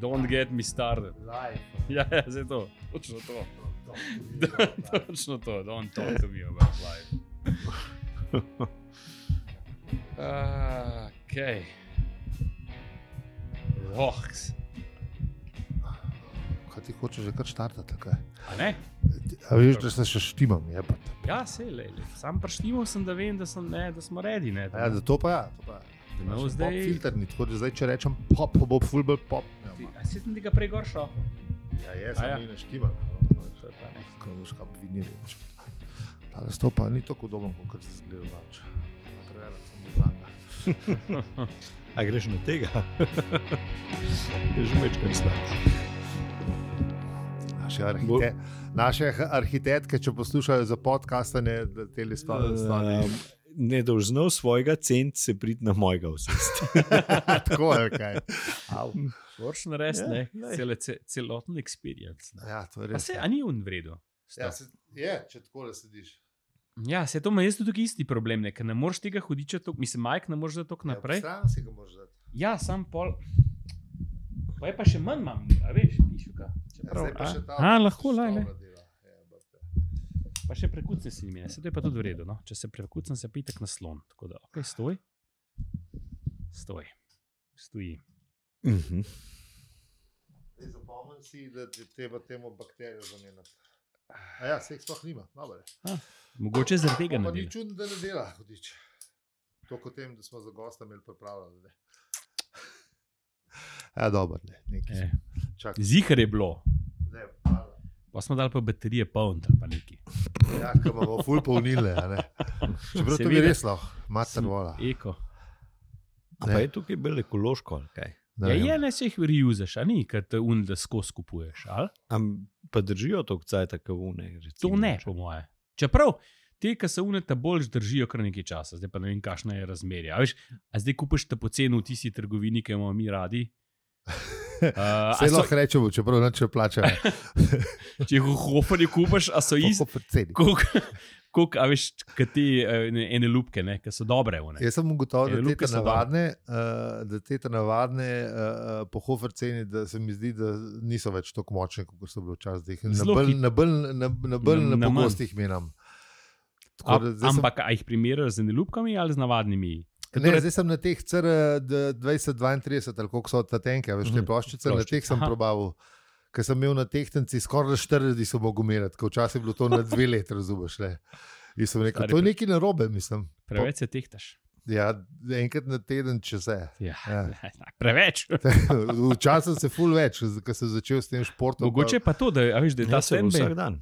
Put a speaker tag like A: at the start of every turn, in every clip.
A: Don't get me started.
B: Life.
A: Ja, zdaj to. Točno to. Točno to. Don't talk to me about life. Okay. Voks.
B: Kaj ti hočeš že kar štartati? Kaj?
A: A ne?
B: A veš, da se še štimam, jebate.
A: Ja, sej, sam prištimal sem, da vem, da smo ready, ne?
B: Ja, da to pa ja.
A: No,
B: Naš
A: zdaj...
B: pop filter ni, tako da zdaj, če rečem pop, bo fullback pop.
A: A si sem tega prej gor šel?
B: Ja, jaz sem ne štimam. Kaj boš kaj vinili. Ta nastopa ni tako udoben, kot se zgleda vač. Preverjam sem izlanga.
C: A greš na tega? Je že večkrat slab.
B: Naše arhitektke, če poslušajo za podcastanje, da tele stvari.
C: Ne dolžno svojega cent se priti na mojega vsest.
B: Tako je kaj.
A: Moraš narediti, ne? Celoten experience. Ne?
B: Ja, to je
A: Pa
B: res.
A: se, a ni on vredo?
B: Ja, je, če takole sediš.
A: Ja, se to ima jaz tudi isti problem, ne? Ker ne moreš tega hudiča toliko, mislim, Mike ne moreš da toliko naprej.
B: Ja, stran si ga moraš dati.
A: Ja, sam pol. Pa je pa še manj imam, a veš, pišuka.
B: Zdaj pa še ta
A: lahko, laj.
B: stavla dela.
A: Pa še prekucne si mi, se to je pa tudi v redu, no? Če se prekucnem, se pitek na slon. Tako da, ok, stoj. Stoji.
B: Zdaj zapomnim si, da ti treba temu bakterijo zamenjati. A ja, se jih sploh nima, dobro.
A: Mogoče zaradi tega ne
B: Pa ni
A: dela.
B: čudno, da ne dela, hudič. To kot tem, da smo za gosta imeli pripravljeno. Ja, dobro, nekaj. Čakaj.
A: Zihar je bilo.
B: Ne, hvala.
A: Pa smo dali pa baterije poln, pa neki.
B: Ja, ko bomo ful polnile, a ne. Čeprav to bi res lahko, mater vola.
A: Eko.
C: A pa je tukaj bolj ekološko, ali kaj?
B: Ne vem.
A: Ja, ne se jih reuzaš, a ni, ker te da skozi kupuješ, ali?
C: Pa držijo to cajta kavune?
A: To ne, po moje. Čeprav, te, ki se uneta bolj držijo kar nekaj časa, zdaj pa ne vem, kakšna je razmerje. A veš, a zdaj kupiš te poceni v tisti trgovini, ki imamo mi radi?
B: Vse lahko rečemo, čeprav neče plačajo.
A: Če jih v Hoferju kupiš, a so isti? Koliko, a veš, kaj te ene lupke, ne, ki so dobre.
B: Jaz sem ugotovil,
A: Lupke so
B: da te navadne po Hofer ceni, da se mi zdi, da niso več tako močne, kot so bile včasih. Na bolj pogostih menam.
A: Ampak a jih primerjajo z ene lupkami ali z navadnimi?
B: Ne, zdaj sem na teh CR 2032, ali koliko so ta tenke, veš, te ploščice, na teh sem probaval. Ker sem imel na tehtanci skoraj 40 so mogel meriti, ker včasih je bilo to na 2 leti, razumeš. In sem rekel, to je nekaj narobe, mislim.
A: Preveč se tehtaš.
B: Ja, enkrat na teden, če se.
A: Ja. Preveč.
B: Včasih se ful več, ker sem začel s tem športom.
A: Mogoče pa to, da, veš, da je ta
C: standby.
A: standby.
C: Vsak dan.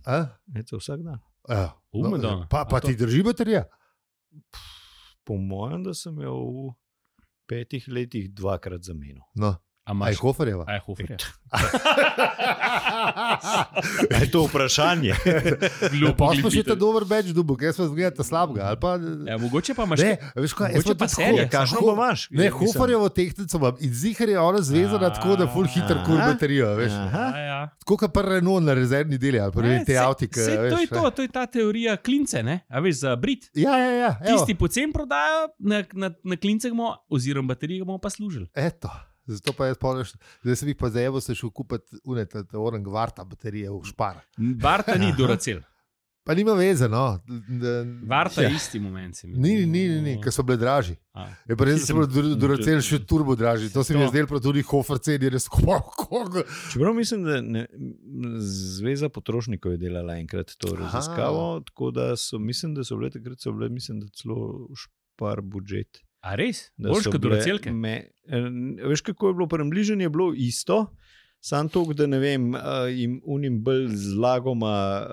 C: Je to vsak dan.
B: Ja. Pa
A: to...
B: ti drži baterija?
C: Po mojem, da sem jo v 5 letih 2-krat zamenil.
B: No. A je Hoferjeva?
A: A je Hoferjeva.
C: Je to vprašanje?
B: Pa smo še ta dober beč dubok, jaz pa zgledate slabega.
A: Ja, mogoče pa imaš...
B: Ne, veš kaj, jaz pa
A: pa serija,
C: kakšno pa imaš?
B: Ne, Hoferjevo tehtnico imam in zihar je ona zvezana tako, da ful hiter kur baterijo, veš. Tako kot pa Renault na rezervni deli, ali pa te avtike.
A: To je ta teorija klince, ne? A veš, za Brit.
B: Ja.
A: Tisti pocen prodajo, na klince bomo, oziroma baterije bomo pa služili.
B: Eto. Zato pa jaz pomeniš, zdaj sem jih pa zajevo se šel kupiti orang Varta baterije v Špar.
A: Varta ni Duracell.
B: Pa nima veze, no.
A: Varta je isti moment.
B: Ni, ker so bile dražji. Je pa res, da so bile Duracell še turbo dražji. To se mi je zdelo, pa tudi Hofer ceni res koliko.
C: Čeprav mislim, da Zveza potrošnikov je delala enkrat to raziskavo, tako da mislim, da so bile takrat, mislim, da celo Špar budžet.
A: A res? Boljš kot Duracelke?
C: Veš, kako je bilo prembližanje, je bilo isto, samo to, da ne vem, jim unim bolj zlagoma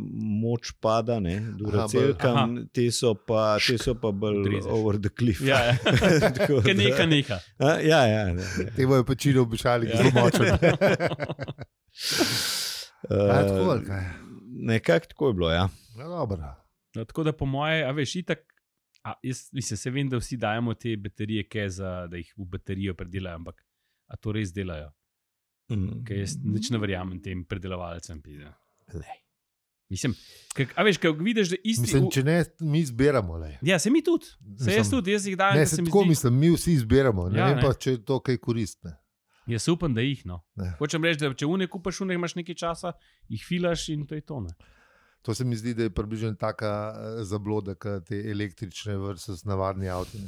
C: moč pada, ne, Duracelkam, te so pa bolj over the cliff.
A: Ja. Kaj neka.
C: Ja.
B: Te bojo pečino običali, zelo močne. Tako ali kaj?
C: Nekako tako je bilo, ja.
B: No, dobro.
A: Tako da po moje, a veš, itak, jaz se vem, da vsi dajemo te baterije, da jih v baterijo predelajo, ampak a to res delajo? Ker jaz nič ne verjamem tem predelovalcem. Mislim, a veš, ko vidiš, da isti...
B: Mislim, če ne, mi zbiramo.
A: Ja, se mi tudi. Jaz jih dajem.
B: Ne, se tako mislim, mi vsi zbiramo. Ne vem pa, če je to kaj koristne.
A: Jaz upam, da jih. No. Hočem reči, da če kupaš imaš nekaj časa, jih filaš in to je to. Ne.
B: To se mi zdi, da je približno taka zabloda, kot te električne versus navadni avti.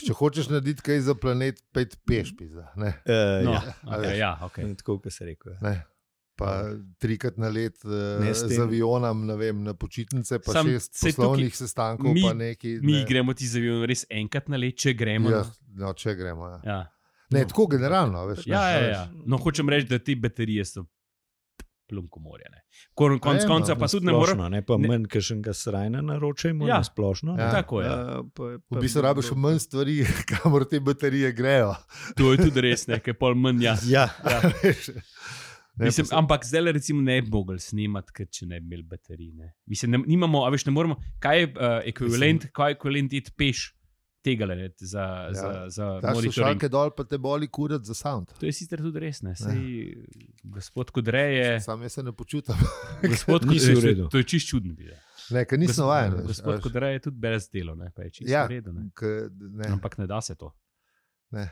B: Če hočeš narediti kaj za planet, pejt peš.
A: Okay.
C: Tako, kot se reče.
B: Pa 3-krat na let z avionom, na počitnice, pa 6 poslovnih sestankov.
A: Mi gremo ti z avionom res enkrat na let, če gremo.
B: Če gremo.
A: Ja.
B: Ne, tako generalno. Veš,
A: No, hočem reči, da te baterije so plunko morje. Konec konca pa tudi ne moremo.
C: Ne pa manj, ker še ga srajna naročajmo na splošno.
A: Tako je.
B: V bistvu rabiš manj stvari, kamor te baterije grejo.
A: To je tudi res, nekaj pol manj. Mislim, ampak zdaj recimo ne bi mogli snimati, če ne bi imeli baterij. Mislim, nimamo, a veš, ne moremo, kaj je ekvivalent iti peš tega za monitoring.
B: Slušalke dol, pa te boli kurat za sound.
A: To je sicer tudi res, ne. Sej, gospod Kodrej je...
B: Sam jaz se ne počutam.
A: Gospod Kodrej, to je čist čudno.
B: Ne, ker nisem vajen.
A: Gospod Kodrej je tudi brez delo, pa je čist v redu. Ampak ne da se to. Ne,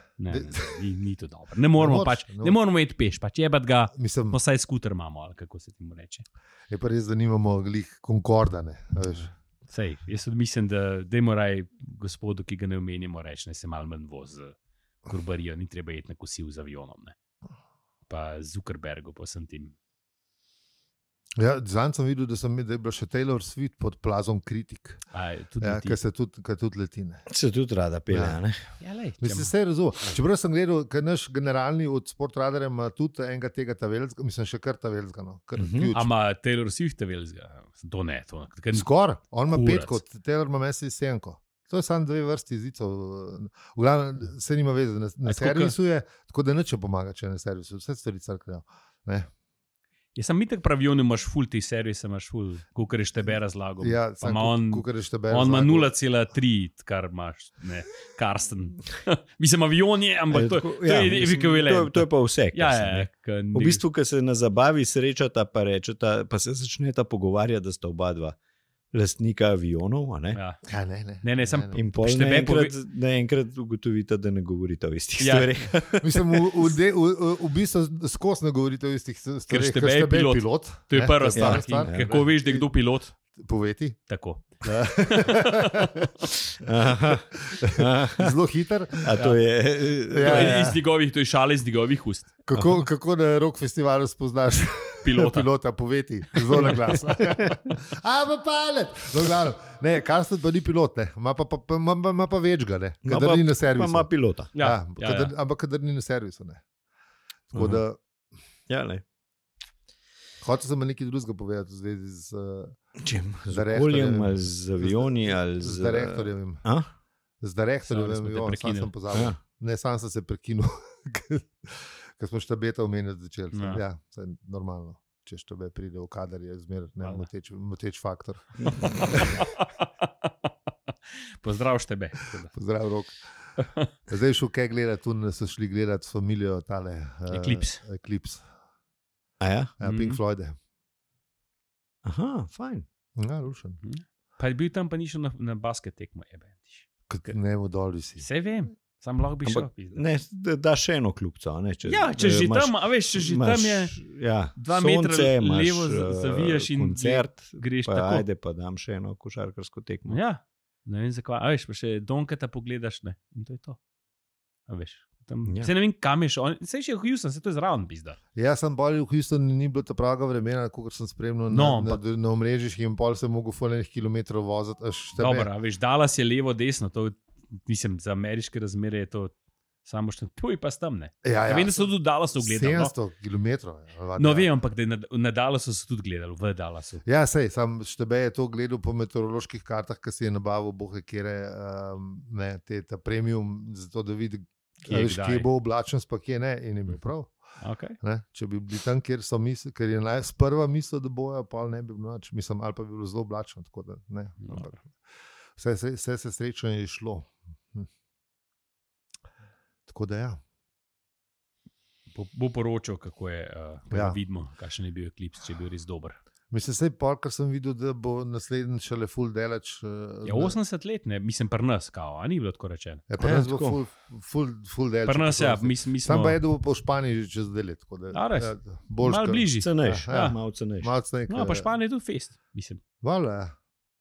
A: ni to dobro. Ne moramo iti peš, pač jebat ga, posaj skuter imamo, ali kako se ti mu reče.
B: Je pa res, da nimamo glih Concordane, veš.
A: Sej, jaz mislim, da dajmo raj gospodu, ki ga ne omenimo, reči, ne se malo manj voz z kurbarijo, ni treba iti na kosil z avionom, ne. Pa Zuckerbergu, pa sem tim.
B: Ja, zanj sem videl, da je bila še Taylor Swift pod plazom kritik. Ker se tudi leti.
C: Se tudi rada pelje, ne?
B: Mislim, se razumem. Čeprav sem gledal, ker naš generalni od Sportradarja ima tudi enega tega tavelzga, mislim, še kar tavelzga.
A: Ama Taylor Swift tavelzga? To ne.
B: Skor, on ima 5 kot, Taylor ima mesec 7. To je samo 2 vrsti jezicov. V glavnem se nima veze, na servisu je, tako da neče pomaga, če na servisu. Vse stvari crknejo.
A: Jaz sem mitek pravijo, imaš ful ti servise, imaš ful, kukar je štebe razlagal.
B: Ja,
A: on ima 0,3, kar imaš, ne, Karsten. Mislim, avion je, ampak to je ekvivalent.
C: To je pa vse. V bistvu, ko se na zabavi srečata, pa rečeta, pa se začneta pogovarjati, da sta oba dva lastnika avionov, a ne?
A: Ne, sem
C: in pol naenkrat ugotovite, da ne govorite o istih stvarih.
B: Mislim, v bistvu skozi ne govorite o istih stvarih,
A: ker štebe je pilot. To je prva stvar. Kako veš, da je kdo pilot?
B: Poveti.
A: Tako.
B: Zelo hiter.
C: To je
A: iz njegovih, to je šale iz njegovih ust.
B: Kako na rock festivalu spoznaš pilota, poveti, zelo na glas. Pa palet. Ne, Karsten pa ni pilot, ne. Ima pa več ga, ne. Kadar ni na servisu.
C: Pa ima pilota.
B: Ampak kadar ni na servisu, ne. Tako da...
C: Ja, ne.
B: Hotel sem nekaj drugega povedati v zvezi z...
C: Čem? Z okoljem, ali z avioni, ali z...
B: Z direktorjem. Z direktorjem, sam sem pozabil. Ne, sam sem se prekinul, ker smo štabeta omenjati začeli. Ja, to je normalno. Če štabe pride v kader, je zmer moteč faktor.
A: Pozdrav štebe.
B: Pozdrav, Rok. Zdaj šel kaj gledati, tu so šli gledati familijo tale... Eclipse.
C: Ja?
B: Pink Floyd.
C: Aha, fajn.
B: Ja, lušen.
A: Pa je bil tam, pa ni šel na basket tekmo.
B: Ne, v doli si.
A: Vse vem, sam lahko bi šel.
C: Ne, da še eno kljubco.
A: Če že tam, a veš, če že tam je 2 metra levo zavijaš in
C: koncert,
A: greš tako.
C: Ajde, pa dam še eno košarkarsko tekmo.
A: Ja, ne vem zakaj. A veš, pa še Donketa pogledaš, ne. In to je to. A veš. Se ne vem, kam je šel. Se je še v Houston, se to je zraven pizda.
B: Ja, sem bolj v Houstonu, ni bilo ta pravega vremena, kot sem spremljal na omrežjih in pol sem mogel foljenih kilometrov voziti.
A: Dobro, veš, Dallas je levo, desno, to mislim, za ameriške razmere je to samo što, tu je pa tam, ne.
B: Ja,
A: vem, da so tudi Dallasu gledali.
B: 700 kilometrov.
A: No, vem, ampak da na Dallasu so tudi gledali, v Dallasu.
B: Ja, sej, sam štebe je to gledal po meteoroloških kartah, ki si je nabavil bohe kjere, ta premium, zato da vidi, kje bo oblačen, pa kje ne, in je bil prav.
A: Okay.
B: Če bi bili tam, kjer so misli, ker je sprva mislil, da bojo, pa ne bi bilo noč, mislim, ali pa bi bilo zelo oblačno, tako da ne. Vse se srečno je šlo. Tako da ja.
A: Bo poročal, kako je, vidimo, kakšen je bil Eclipse, če je bil res dober.
B: Mislim, sej pol, kar sem videl, da bo naslednji šele full delač.
A: Ja, 80 let, ne, mislim, pri nas, kao, a ni bilo tako rečeno.
B: Ja, pri nas bo full delač.
A: Pri nas, ja, mi smo...
B: Sam pa jedu po Španiji že čez 2 let.
A: Malo bližji.
C: Cenejš, malo cenejš.
A: No, pa Španija je tudi fest, mislim.
B: Vala, ja.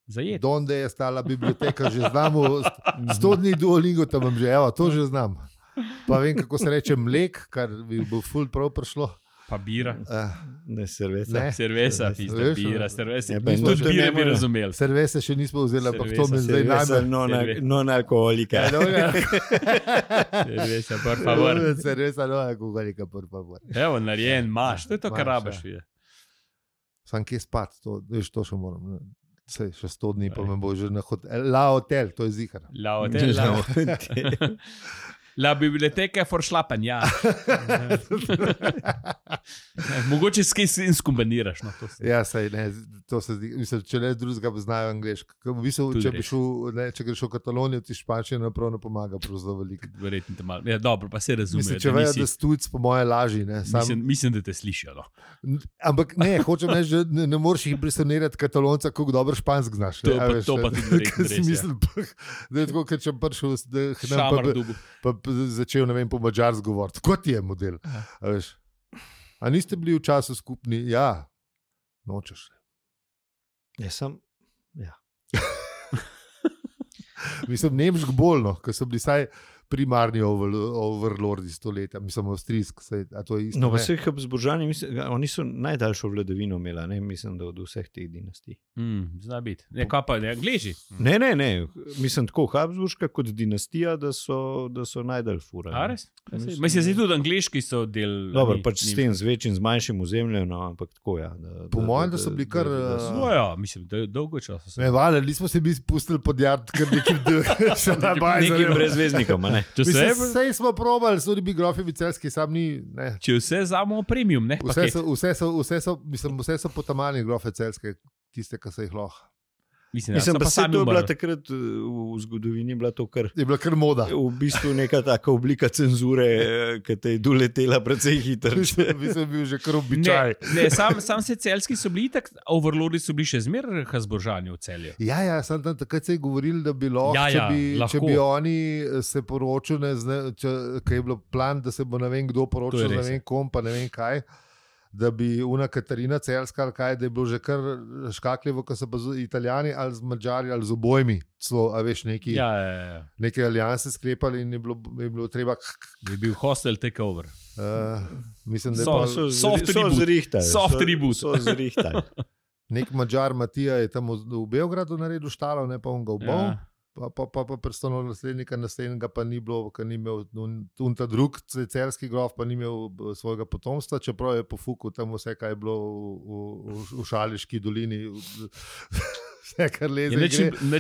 A: Zajet.
B: Donde je stala biblioteka, že znamo, 100 dni Duolingo tam že, evo, to že znam. Pa vem, kako se reče mlek, kar bi bo full prav prišlo.
A: Pa bira.
C: Ne, cerveza.
B: Ne.
A: Cerveza, pizda, bira, cerveza.
C: Ja,
A: Tudi bira bi razumeli.
B: Cerveze še nismo vzeli, ampak to me zdaj
C: Cerveza
B: najbolj...
C: non-alkoholika.
A: Cerveza, por favor.
B: Cerveza non-alkoholika, por favor.
A: Evo, narejen, maš, to je to, kar rabaš.
B: Sam kje spat, to še moram. Sej, še 100 dni pa me bo že na La Hotel, to je zihar.
A: La Hotel. La biblioteka je foršlapen, ja. Mogoče s kaj skombiniraš. No,
B: ja, sej, ne, to se zdi. Mislim, če ne drugega znajo angliško. Če bi šel, ne, če greš v Katalonijo, ti španščina naprav ne pomaga, pravzaprav veliko.
A: Verjetno te malo. Ja, dobro, pa se razume.
B: Mislim, če vejo, da stujc po moje laži. Ne,
A: mislim, da te slišijo. No.
B: Ampak ne, hočem reči, že ne moreš jih impresionirati Katalonca, kako dobro špansk znaš.
A: To pa tudi verjetno res.
B: Mislim, da je tako, ker če prišel,
A: Šamar dubu.
B: Pa začel, ne vem, po mađarsko govoriti. Kot je model. A niste bili v času skupni? Ja, nočeš.
C: Ja, sem, ja.
B: Mislim, nemško bolno, ker so bili saj primarni overlordi stoletja, mislim, avstrijsk, a to je isto.
C: No, pa vseh Habsburžani, oni so najdaljšo vladavino imela, ne, mislim, da od vseh teh dinastij.
A: Zna biti. Ne, kaj pa, ne, Angleži?
C: Ne, mislim, tako Habsburška kot dinastija, da so najdalj fura.
A: A res? Mislim, da tudi angleški so del...
C: Dobro, pač s tem, z večjim, z manjšim ozemljem, no, ampak tako, ja.
B: Po mojem, da so bili kar...
A: Ja, mislim, da dolgo časa so.
B: Ne, vale, nismo se mi spustili pod jard, kar
C: nekim brezveznikom, ne.
B: Vse smo probali, so ribi grofi vicelski, sam ni... Ne.
A: Če vse vzamo premium, ne?
B: Vse so potamani grofe celske, tiste, ki so jih lahko.
A: Mislim,
C: pa se to je bila takrat v zgodovini, bila to kar...
B: Je bila kar moda.
C: V bistvu neka taka oblika cenzure, ki te je doletela precej hitro.
B: Mislim, bil že kar običaj.
A: Ne, sam se celski so bili tak, overlordi so bili še zmer Habsburžani v Celju.
B: Ja, sam tam takrat se je govorili, da bi lahko, če bi oni se poročili, ker je bilo plan, da se bo ne vem kdo poročil, ne vem kom, pa ne vem kaj, da bi una Katarina Celska ali kaj, da je bilo že kar škakljivo, ko so pa Italijani ali z Mađari ali z obojmi, a veš, neke alijanse sklepali in je bilo treba...
A: Je bil hostel takeover.
B: Mislim, da
C: je soft reboot. So zrihtali.
B: Nek Mađar Matija je tam v Beogradu naredil štalo, ne pa on ga obol. Pa predstavno naslednjega pa ni bilo, ker ni imel ta drug celski grof, pa ni imel svojega potomstva, čeprav je pofukal tam vse, kaj je bilo v Šaleški dolini, vse, kar leze,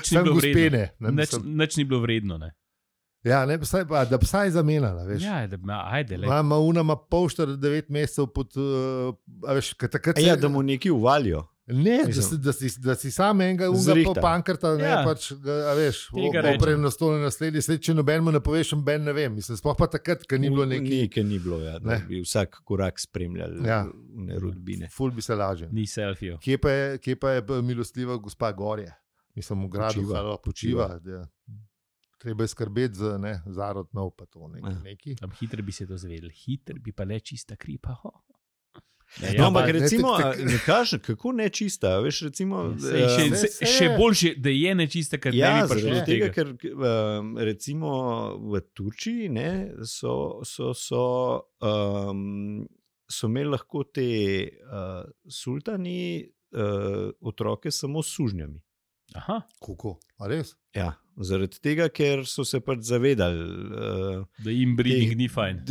B: sem gospene.
A: Nič ni bilo vredno, ne?
B: Ja, ne, da psa je zamenjala, veš.
A: Ja, ajde, le.
B: Ima pol 9 mesecev pod, veš, takrat se...
C: Ja, da mu neki uvalijo.
B: Ne, da si sam enega pankrta, ne, pač, a veš, oprej na stole naslednji, če nobenemu ne poveš, noben ne vem. Mislim, sploh pa takrat, ker ni bilo neki...
C: Ker ni bilo, ja, da bi vsak korak spremljali rodbine.
B: Ful bi se lažil.
A: Ni selfijo.
B: Kje pa je milostljiva gospa Gorje? Mislim, v gradu počiva. Treba je skrbeti za zarod nov, pa to neki.
A: Tam hitro bi se to zvedeli, hitro bi pa le čista kripa,
C: No, ampak recimo, ne kaže, kako nečista, veš, recimo...
A: Še boljše, da je nečista, ker ne bi prišlo tega.
C: Ker recimo v Turčiji so imeli lahko te sultani otroke samo s sužnjami.
A: Aha.
B: Kako? A res?
C: Ja, zaradi tega, ker so se pač zavedali,
A: da jim breeding ni fajn.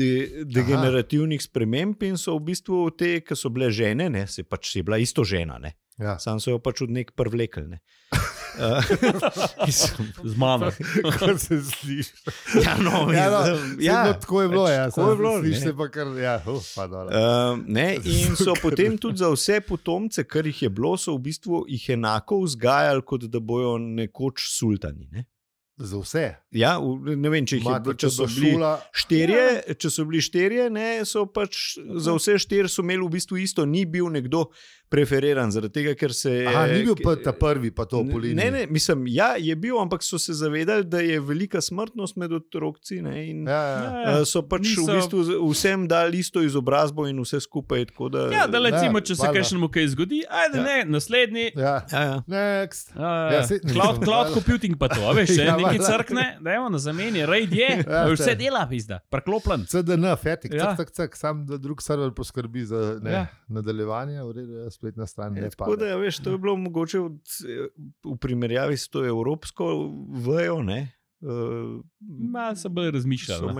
C: Degenerativnih sprememb in so v bistvu te, ki so bile žene, ne, se pač je bila isto žena, ne.
B: Ja.
C: Sam so jo pač od nek prvlekli, ne.
A: Z mano.
B: Kako se sliši?
C: Tako
B: je bilo, ja.
C: Tako je bilo,
B: sliši se pa kar, ja, pa dole.
C: In so potem tudi za vse potomce, kar jih je bilo, so v bistvu jih enako vzgajali, kot da bojo nekoč sultani, ne.
B: Za vse.
C: Ja, ne vem, če so bili štirje, ne, so pač za vse štiri so imeli v bistvu isto, ni bil nekdo preferiran, zaradi tega, ker se je...
B: Ni bil pa ta prvi, pa to po liniji.
C: Ne, mislim, ja, je bil, ampak so se zavedali, da je velika smrtnost med otroci, ne, in so pač v bistvu vsem dali isto izobrazbo in vse skupaj, tako da...
A: Ja, da recimo, če se kakšnemu kaj zgodi, ajde, ne, naslednji...
B: Next.
A: Cloud computing pa to, veš, neki crkne, dajmo na zameni, raid je, vse dela, pizda, preklopljen.
B: CDN, fetik, cak, sam drug server poskrbi za nadaljevanje, v redu, spletna stran.
C: Tako da, veš, to je bilo mogoče v primerjavi s to evropsko vejo, ne?
A: Malo se bolj razmišljalo.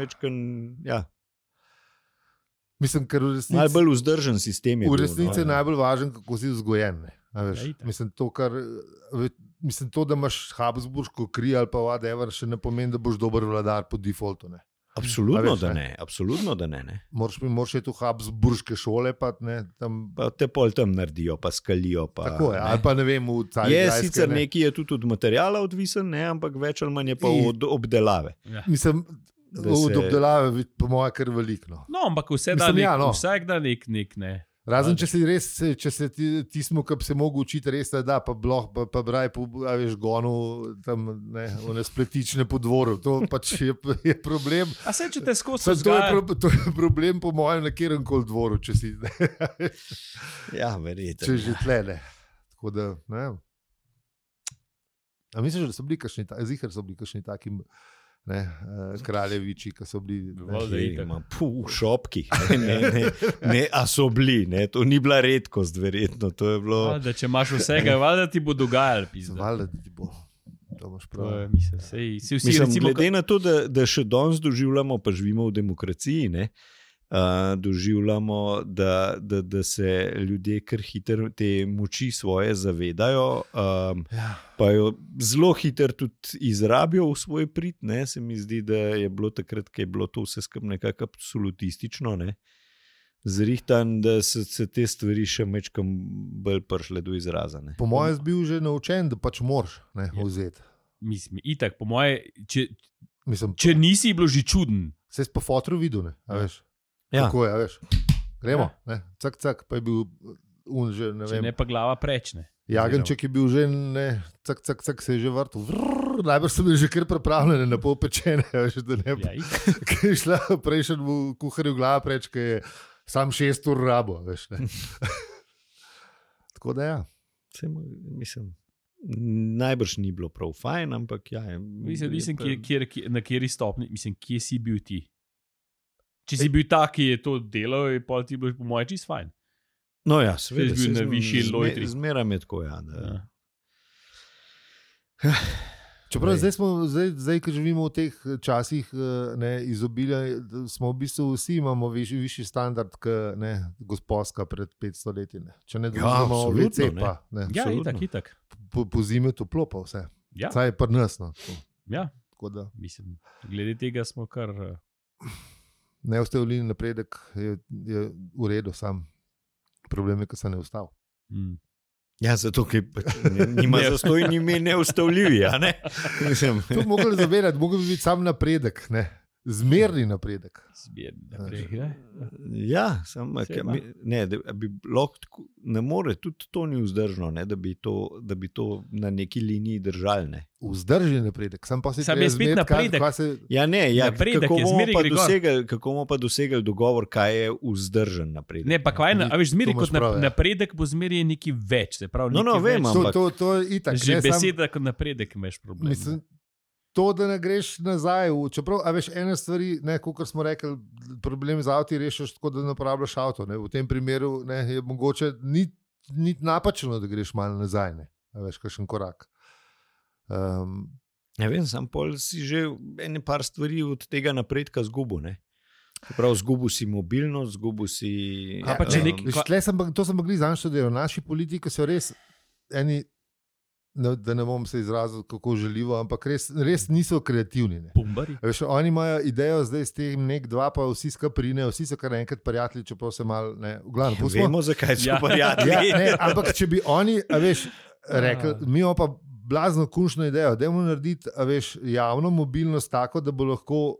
B: Mislim, ker v resnici...
C: Najbolj vzdržen sistem je bil.
B: V resnici je najbolj važen, kako si vzgojen, ne? Mislim, to, da imaš Habsburško kri ali pa whatever, še ne pomeni, da boš dober vladar po defaultu, ne?
C: Absolutno, da ne.
B: Moraš je tu Habsburške šole, pa ne, tam...
C: Pa te pol tam naredijo, pa skalijo, pa...
B: Tako je, ali pa ne vem, v Cajgrajske...
C: Sicer neki je tudi od materijala odvisen, ne, ampak več ali manj je pa od obdelave.
B: Ja. Mislim, od obdelave, po moje, kar veliko.
A: No, ampak vsak da nek, ne.
B: Razen, če se tismo, ki bi se mogel učiti, res da, pa braj, veš, gonu tam, ne, one spletične po dvoru. To pač je problem.
A: A se, če te skozi vzgaja?
B: To je problem, po mojem, na kjeremkoli dvoru, če si...
C: Ja, verjetno.
B: Če že tle, ne. Tako da, ne. A misliš, da so bili kakšni takim... Ne, kraljeviči, ki so bili
C: v šopki, ne, a so bili, ne, to ni bila redkost, verjetno, to je bilo...
A: Da, če imaš vsega, valjda ti bo dogajalo, pizda.
B: Valjda ti bo, to imaš prav.
C: Mislim, glede na to, da še danes doživljamo, pa živimo v demokraciji, ne, doživljamo, da se ljudje kar hitro te moči svoje zavedajo, pa jo zelo hitro tudi izrabijo v svoj prid, ne, se mi zdi, da je bilo takrat, ko je bilo to vse skupaj nekako absolutistično, ne, zrihtan, da se te stvari še mečkam bolj prišle do izraza, ne.
B: Po mojem bil že naučen, da pač moraš, ne, vzeti.
A: Mislim, itak, po moje, če nisi bilo že čuden.
B: Se si po fotru videl, ne, a veš.
C: Ja.
B: Tako je, veš. Gremo, ne, cak, pa je bil že, ne vem.
A: Če ne pa glava prečne.
B: Jagenček je bil že, ne, cak, se je že vrtel. Najbrž so bili že kar pripravljene na pol pečene, veš, da ne pa. Kaj je šla prejšen v kuharju glava preč, kaj je sam 6 ur rabo, veš, ne. Tako da ja.
C: Mislim, najbrž ni bilo prav fajn, ampak ja.
A: Mislim, na kjeri stopni, mislim, kje si bil ti? Če si bil tak, ki je to delal, je pa ti bilo po moje čist fajn.
C: No ja, seveda.
A: Si bil na višji lojtri.
C: Zmeram je tako, ja.
B: Čeprav zdaj, ko živimo v teh časih izobilja, smo v bistvu vsi imamo višji standard, ne, gospodska pred 500 leti. Ne. Če ne dobimo WC pa. Ne.
A: Ja, itak.
B: Po zimi je toplo pa vse.
A: Ja.
B: Saj je prnasno.
A: Ja, mislim, glede tega smo kar...
B: Neustavljeni napredek je v redu, sam problem je, ko se ne ustav.
C: Ja, zato, ker nima zastojni, nima neustavljivi, a ne?
B: To bi mogli zavedati, mogli bi biti sam napredek, ne? Zmerni napredek.
C: Ja, samo, ne, da bi lahko, ne more, tudi to ni vzdržno, ne, da bi to na neki liniji držali, ne.
B: Vzdržen napredek, sam pa si
A: treba zmeriti napredek.
C: Ja, ne, ja, kako bomo pa dosegali dogovor, kaj je vzdržen napredek.
A: Ne, pa kaj, a veš, zmeri kot napredek bo zmeri neki več, se pravi,
C: no, vem, ampak.
B: To je itak.
A: Že beseda kot napredek imaš problem.
B: Mislim, to, da ne greš nazaj, čeprav, a veš, ene stvari, kot smo rekli, problem z avti rešiš tako, da ne uporabljaš avto. Ne. V tem primeru ne, je mogoče ni napačno, da greš malo nazaj, ne. A veš, kakšen korak.
C: Ja vem, sam pol si že ene par stvari od tega napredka zgubil, ne. Prav, zgubil si mobilnost, zgubil si...
B: To sem mogli zanštuditi, naši politiki so res eni, da ne bom se izrazil, kako želivo, ampak res niso kreativni. Veš, oni imajo idejo zdaj s tem nek dva, pa vsi skaprinejo, vsi so kar enkrat prijatelji, čeprav se malo, ne, v glavnem pustimo.
C: Vemo, zakaj so prijatelji.
B: Ja, ne, ampak če bi oni, a veš, rekli, mi imamo pa blazno kunšno idejo. Dajmo narediti, javno mobilnost tako, da bo lahko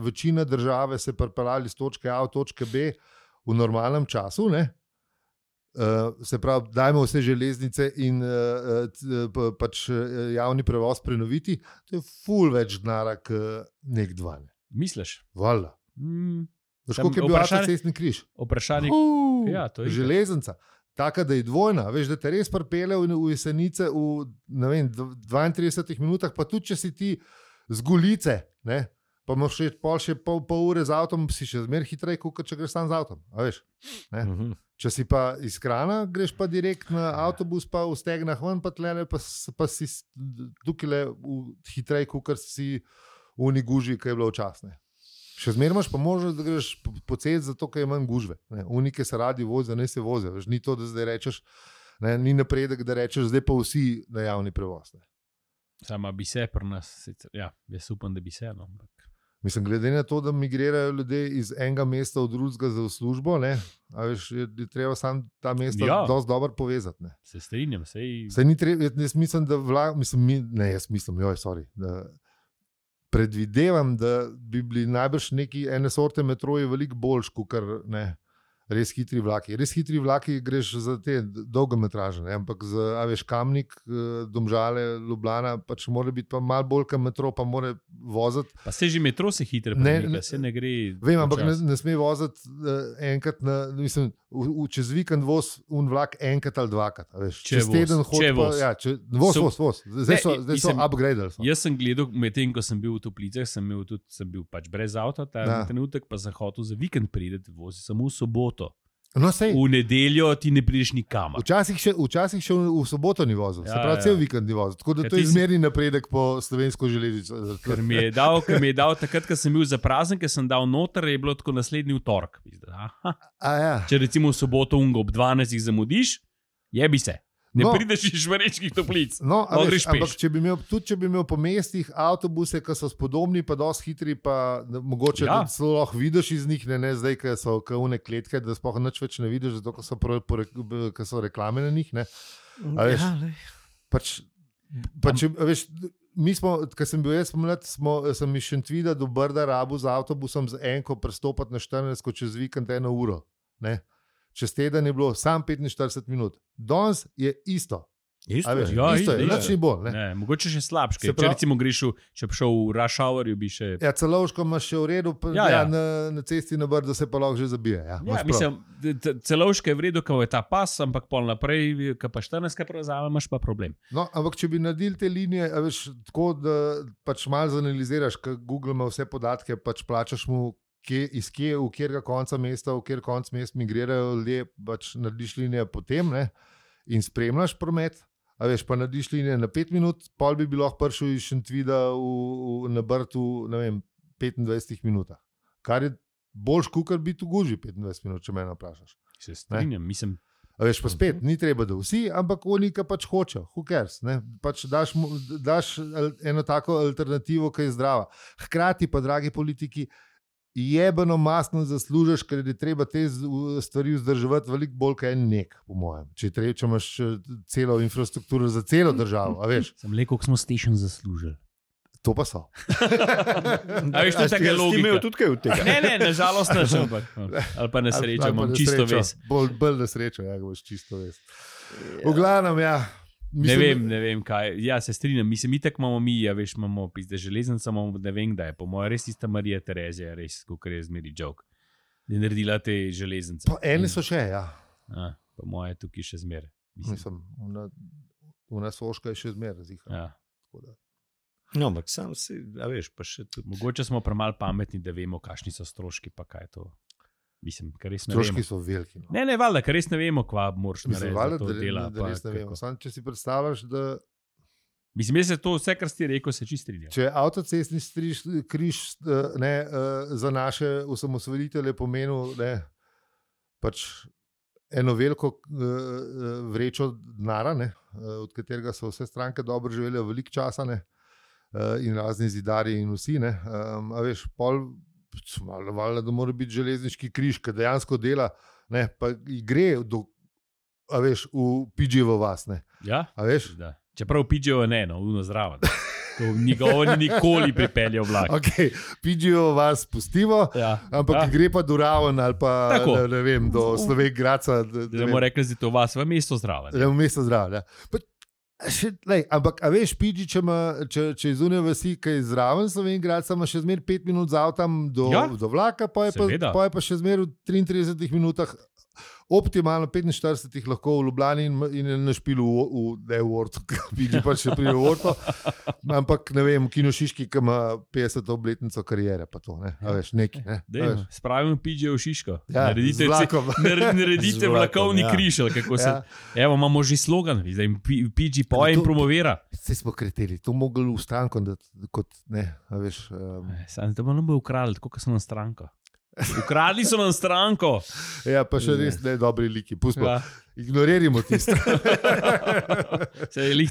B: večina države se pripeljali z točke A v točke B v normalnem času. Se pravi, dajmo vse železnice in pač javni prevoz prenoviti. To je ful več denarja, nek dva.
A: Misliš?
B: Valjda. Koliko je bil avtocestni križ?
A: Vprašanje. Ja, to je
B: železnica. Taka, da je dvojna. Veš, da te res pripelje v Jesenice v 32 minutah, pa tudi, če si ti z Golice, pa imaš še pol ure z avtom, si še zmeraj hitreje, kot če greš sam z avtom. Če si pa iz Krana, greš pa direkt na avtobus, pa v Stegnah ven, pa tlele, pa si tukaj hitreje, kot si v Uniguži, ki je bilo včasne. Še zmeraj imaš pa možnost, da greš po cesti, zato ker je manj gužve. Unike se radi vozijo, ne se vozijo. Ni to, da zdaj rečeš, ni napredek, da rečeš, zdaj pa vsi na javni prevoz.
A: Sama bi se pri nas, ja, jaz upam, da bi se. No.
B: Mislim, glede na to, da migrirajo ljudje iz enega mesta v drugega za službo, je treba sam ta mesta dosti dobro povezati. Ne.
A: Se strinjam.
B: Jaz mislim, da predvidevam, da bi bili najbrž neki ene sorte metroji veliko boljši, kot res hitri vlaki. Res hitri vlaki greš za te dolge metraže, ampak za Kamnik, Domžale, Ljubljana, pač mora biti pa malo bolj kot metro, pa mora voziti.
A: Pa se že metro se hitro premika, se ne gre.
B: Vem, ampak ne sme voziti enkrat, čez vikend voz un vlak enkrat ali dvakrat. Čez teden hodi pa, voz. Zdaj so upgradali.
A: Jaz sem gledal, medtem ko sem bil v Toplicah, sem bil pač brez avta, ta trenutek pa sem hotel za vikend priti, vozil samo v soboto.
B: No,
A: v nedeljo ti ne prideš nikamor.
B: Včasih še v soboto ni vozil, se pravi cel vikend ni vozil. Tako da to je izmerni napredek po slovensko železnico.
A: Ker mi je dal takrat, ko sem bil za prazen, ker sem dal noter, je bilo tako naslednji vtorek. Če recimo v soboto ob 12 zamudiš, jebi se. Ne prideš iz Šmarečkih Toplic.
B: Ampak če bi imel po mestih avtobuse, ki so spodobni, pa dosti hitri, pa mogoče celo lahko vidiš iz njih, ne zdaj, ki so une kletke, da sploh nič več ne vidiš, zato ker so reklame na njih. Mi smo, ko sem bil jaz mlad, sem iz Šentvida do Brda rabil z avtobusom z enko prestopati na 14, čez vikend 1 uro. Čez teden je bilo sam 45 minut. Danes je isto. Isto je, nič ni bolj.
A: Mogoče še slabše. Če recimo greš, če bi šel v rush hour, bi še...
B: Ja, Celovško imaš še v redu, na cesti na Brdu se pa lahko že zabije.
A: Mislim, Celovško je v redu, ko je ta pas, ampak pol naprej, ko pa 14 prevzame, imaš pa problem.
B: No, ampak če bi naredili te linije, tako da pač malo zanaliziraš, ker Google ima vse podatke, pač plačaš mu v kjerega konca mesta, v kjer konc mest migrirajo ljudje, pač narediš linije potem in spremljaš promet, pa narediš linije na 5 minut, pol bi lahko prišel iz Šentvida na Brdu, 25 minutah. Kar je boljš, kot biti v Guži 25 minut, če me vprašaš.
A: Se strinjam, mislim.
B: Pa spet, ni treba, da vsi, ampak oni, ki pač hočejo, who cares, pač daš eno tako alternativo, ki je zdrava. Hkrati pa, dragi politiki, jebeno masno zaslužiš, ker je treba te stvari vzdrževati veliko bolj kot nek, po mojem. Če imaš celo infrastrukturo za celo državo, a veš.
A: Sem le, koliko smo station zaslužili.
B: To pa so.
A: A veš, to je taka logika.
C: Ti imel tudi kaj od tega?
A: Ne, nažalost ne, ampak ali pa na srečo, imam čisto vest.
B: Bolj na srečo, boš čisto vest. V glavnem,
A: Mislim, ne vem kaj. Ja, se strinjam. Mislim, itak imamo imamo pizde železnice, imamo ne vem kdaj. Po mojem res tista Marija Terezija, res, kot je zmeri joke. Je naredila te železnice.
B: Pa ene so še,
A: Po mojem je tukaj še zmer.
B: Mislim, ona Soška je še zmer razlika.
C: No, ampak sam si, veš, pa še tudi.
A: Mogoče smo premalo pametni, da vemo, kakšni so stroški, pa kaj je to. Mislim,
B: stroški so veliki. No.
A: Ne, valjda, ker res ne vemo, kva moraš narediti.
B: Valjda, da res ne vemo. Sam, če si predstavljaš, da...
A: Mislim, da se to vse, kar si rekel, se čisto strinja.
B: Če avtocestni križ za naše osamosvojitelje pomenil pač eno veliko vrečo denara, od katerega so vse stranke dobro živele veliko časa, in razni zidarji in vsi, a veš, pol... Valjda, da mora biti železniški križ, ki dejansko dela, pa gre v Pidževo vas.
A: Ja,
B: a veš?
A: Da. Čeprav PGO ne, uno zraven. To njegovo ni nikoli pripeljal vlak.
B: Okay, PGO vas pustimo, ampak gre pa do Raven ali pa ne vem, do Slovenj Gradca.
A: Da bomo rekli, da je to vas v mesto zraven.
B: V mesto zraven, ampak, a veš, PG, če izune vasi, kaj zraven Slovenj Gradca, ima še zmer 5 minut z avtom do vlaka, pa je pa še zmer v 33 minutah. Optimalno 45 lahko v Ljubljani in na špilu v Ortu, ki pa še pride v Orto, ampak ne vem, Kino Šiški, ki ima 50. obletnico karijere, pa to, ne, a veš, neki, ne.
A: Spravimo PG v Šiško,
B: naredite
A: vlakovni križ, kako se, evo, imamo že slogan, zdaj PG poje in promovira.
B: Se smo kreteli, to mogli v stranko, kot, ne, a veš.
A: Sam te bomo bo ukradli, tako kot so na stranko. Ukradli so nam stranko.
B: Ja, pa še res ne dobri liki. Pustimo. Ignoririmo tisto.
A: Se jih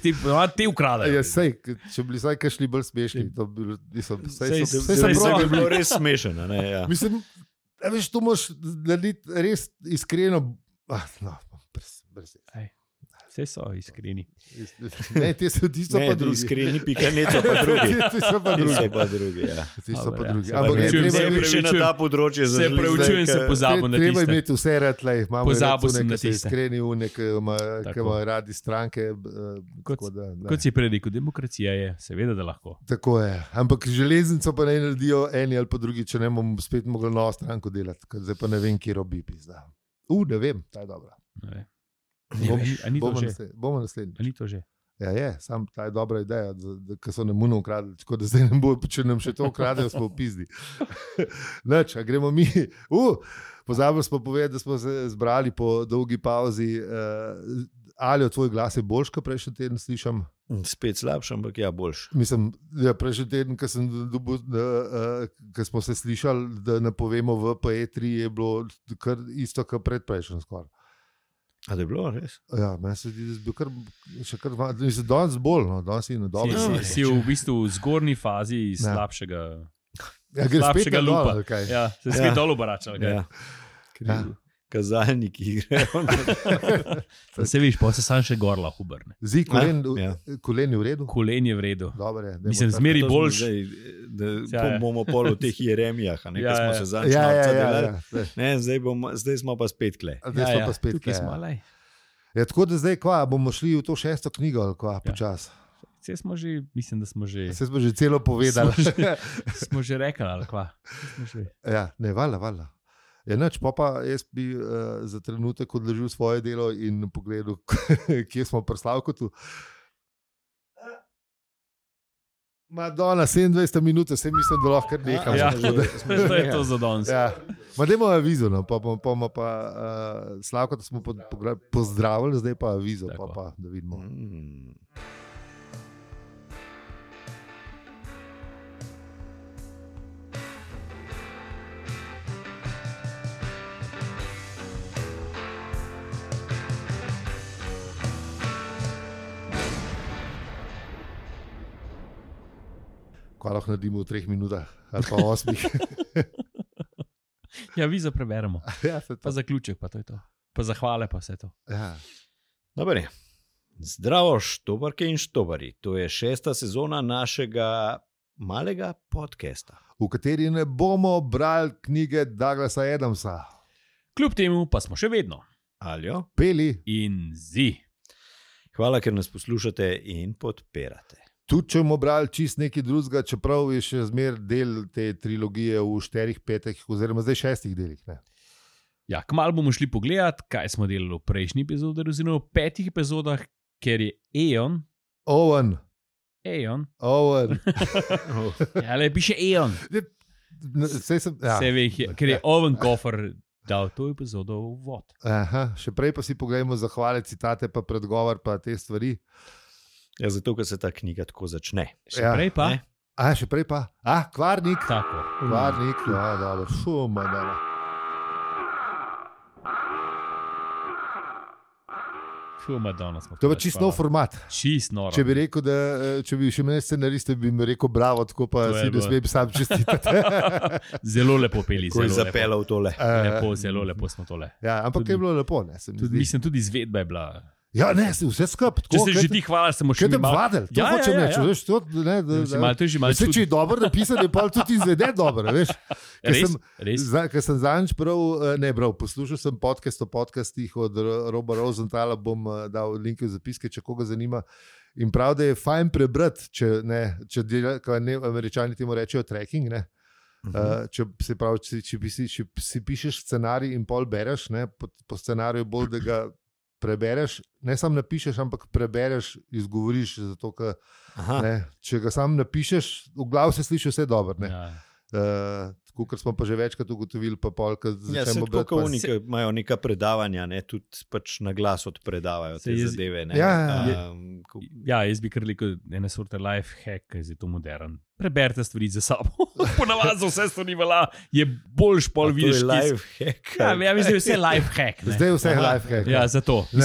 A: te ukradajo.
B: Ja, sej, če bi bili kakšni bolj smešni, to bi
C: bilo res smešno.
B: Mislim, veš, to moraš narediti res iskreno.
A: Vse so iskreni.
B: Ne, te so tisto pa drugi.
C: Iskreni pikaneto pa drugi.
B: Ti so pa drugi.
C: Ti
B: so pa drugi.
C: Ampak ne še na ta področje.
A: Se preučujem, se pozabo na tiste.
B: Treba imeti vse rad,
A: pozabo sem na tiste.
B: Iskreni v ki ima radi stranke.
A: Kot si prej rekel, demokracija je, seveda, da lahko.
B: Tako je. Ampak železnico pa ne naredijo eni ali pa drugi, če ne bom spet mogel novo stranko delati. Zdaj pa ne vem, kje robi pizda. Ne vem, ta je dobra. Bomo naslednji.
A: Ali to že?
B: Ja, sam ta je dobra ideja, ker so nam muno ukradli, tako da zdaj ne bo, če nam še to ukradejo, smo v pizdi. Nač, a gremo mi. Pozabili smo povedati, da smo se zbrali po dolgi pauzi. Ali tvoj glas je boljš, kot prejšnji teden slišam?
C: Spet slabši, ampak boljš.
B: Mislim, prejšnji teden, ko smo se slišali, da napovemo v PE3, je bilo kar isto, kot predprejšnji skoraj.
C: A da je bilo, res?
B: Ja, meni se zdi, da je bil danes bolj, danes je na dobro.
A: Si v bistvu v zgornji fazi slabšega
B: lupa.
A: Ja, se spet dol obračal.
C: Kazalniki grejo.
A: Se viš, pa se sam še gorla hubrne.
B: Zdi, kolen je v redu?
A: Kolen je v redu.
B: Dobre,
A: mislim, zmeri boljš.
C: Bomo pol v teh Jeremijah, ko smo se začeli. Zdaj smo pa spet kle.
A: Tukaj smo, lej.
B: Tako da zdaj, bomo šli v to 6. knjigo, počas.
A: Vse smo že, mislim, da smo že...
B: Vse smo že celo povedali.
A: Smo že rekli, ali kva.
B: Ja, ne, valjda. Ja, neč, pa jaz bi za trenutek odložil svoje delo in pogledal, kje smo pri Slavkotu. Madonna, 27 minut, se mislim, da lahko nekam.
A: Ja, to je to za danes.
B: Ja. Dajmo avizo, pa Slavkota smo pozdravili, zdaj pa avizo, pa da vidimo. Kaj lahko naredimo v 3 minutah ali pa 8.
A: Ja, vizo preberemo.
B: Ja,
A: pa zaključek, pa to je to. Pa zahvale, pa vse to.
B: Ja.
C: Dobre. Zdravo, štobarke in štobari. To je 6. sezona našega malega podcasta,
B: v kateri ne bomo brali knjige Douglasa Adamsa.
A: Kljub temu pa smo še vedno
C: Aljo,
B: Peli
A: in Zi.
C: Hvala, ker nas poslušate in podpirate.
B: Tudi če bomo brali čist nekaj drugega, čeprav je še zmer del te trilogije v 4, 5, oziroma zdaj 6 delih. Ne?
A: Ja, kmalu bomo šli pogledat, kaj smo delali v prejšnji epizodi, oziroma v 5 epizodah, ker je
B: Owen.
A: Ja, le piše Eon. Ker je Owen Kofer dal to epizodo v vod.
B: Aha, še prej pa si pogledamo zahvale, citate, pa predgovor, pa te stvari.
C: Ja, zato, ker se ta knjiga tako začne.
A: Še prej pa?
B: Še prej pa? Kvarnik.
A: Tako.
B: Kvarnik, dobro. Šuma, dala.
A: Madonna smo.
B: To je čist nov format.
A: Čist noro.
B: Če bi rekel, da če bi še imel scenariste, bi mi rekel bravo, tako pa si ne smem sam čestitati.
A: Zelo lepo peli.
C: Ko je zapeljal tole.
A: Zelo lepo smo tole.
B: Ja, ampak je bilo lepo.
A: Mislim, tudi izvedba je bila.
B: Ja, ne, vse skupaj.
A: Če se že ti hvališ, se moraš še
B: malo vadil. To hočem reči. Če je dobro napisan, je pa tudi izveden dobro. Ker sem zadnjič poslušal sem podcast o podcastih od Roba Rosenthala, bom dal linke v zapiske, če koga zanima. In prav, da je fajn prebrati, če Američani temu rečejo tracking, ne. Če si pišeš scenarij in pol bereš, ne, po scenariju bolj, da ga prebereš, ne samo napišeš, ampak prebereš, izgovoriš, zato, če ga sam napišeš, v glavu se sliši vse dobro. Kar smo pa že večkrat ugotovili, pa pol, kad začnemo brati.
C: Oni imajo neka predavanja, ne, tudi pač na glas odpredavajo te zadeve. Ne.
A: Jaz bi kar rekel, ena sorta life hack, ki je to modern. Preberite stvari za sabo. Ponavadi za vse stvari je boljš pol vidiš.
C: To je life hack.
A: Mislim, da je vse life hack. Ne.
B: Zdaj je vse life hack.
A: Ja, zato. Na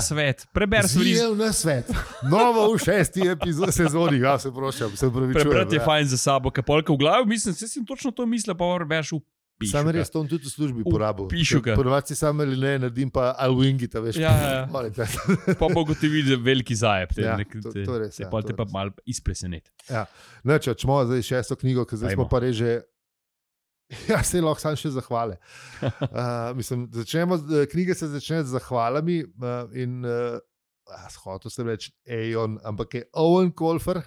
A: svet. Preber stvari.
B: Zijev na svet. Novo v 6. sezoni. Ja, se prošam, se pravičujem.
A: Prebrati je fajn za sabo, ker polka v glavi, mislim, se sem točno to mislil, pa preberš v pišu.
B: Sam res to tudi v službi porabil.
A: Pišu ga.
B: Ponovadi si sam ali ne, naredim pa alwingita, veš.
A: Ja. Pa bogo ti vidi veliki zajeb.
B: To res.
A: Pa te pa malo izpreseneti.
B: Ja. Če smo zdaj 6. knjigo, ker zdaj smo pa reže. Ja, se lahko sam še zahvale. Knjige se začne z zahvalami in hotel sem reči Aeon, ampak je Owen Colfer.